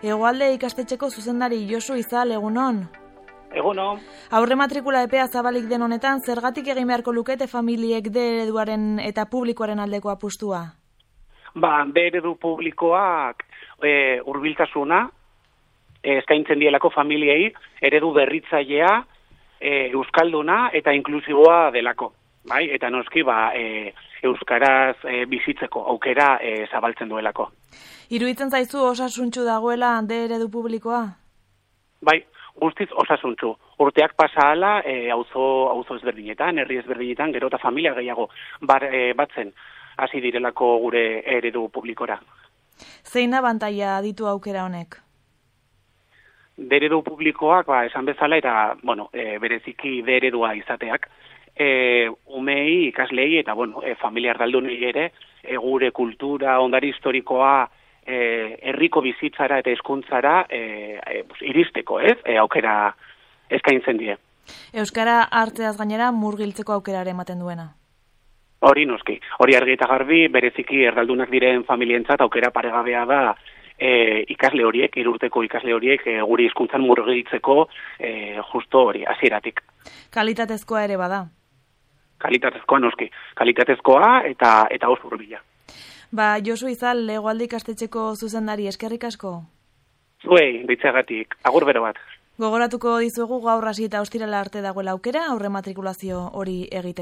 Hegoalde ikastetxeko zuzendari Josu Izal, egunon. Egunon. Aurre matrikula epea zabalik den honetan, zergatik egin beharko lukete familiek D ereduaren eta publikoaren aldeko apustua? D eredu publikoak hurbiltasuna eskaintzen dielako familiei, eredu berritzailea, euskalduna eta inklusiboa delako. Bai? Eta noski euskaraz bizitzeko aukera zabaltzen duelako. Iruditzen zaizu osasuntsu dagoela D eredu publikoa? Bai, guztiz osasuntsu. Urteak pasa hala, auzo ezberdinetan, herri ezberdinetan, gero eta familia gehiago batzen hasi direlako gure eredu publikora. Zein abantaila ditu aukera honek? D eredu publikoak, esan bezala, eta, bereziki D eredua izateak, umei, ikaslei, eta, familia erdaldunei ere, gure kultura, ondare historikoa, herriko bizitzara eta hizkuntzara iristeko, aukera eskaintzen die. Euskara hartzeaz gainera murgiltzeko aukera ere ematen duena. Hori noski, hori argi eta garbi, bereziki erdaldunak diren familientzat aukera paregabea da ikasle horiek, 3 urteko ikasle horiek guri hizkuntzan murgiltzeko justo hori, hasieratik. Kalitatezkoa ere bada. Kalitatezkoa noski, kalitatezkoa eta oso hurbila. Josu Izal, Hegoalde ikastetxeko zuzendari, eskerrik asko. Zuei, ditzeagatik, agur bero bat. Gogoratuko dizuegu gaur hasi eta ostirala arte dagoela aukera aurre matrikulazio hori egiteko.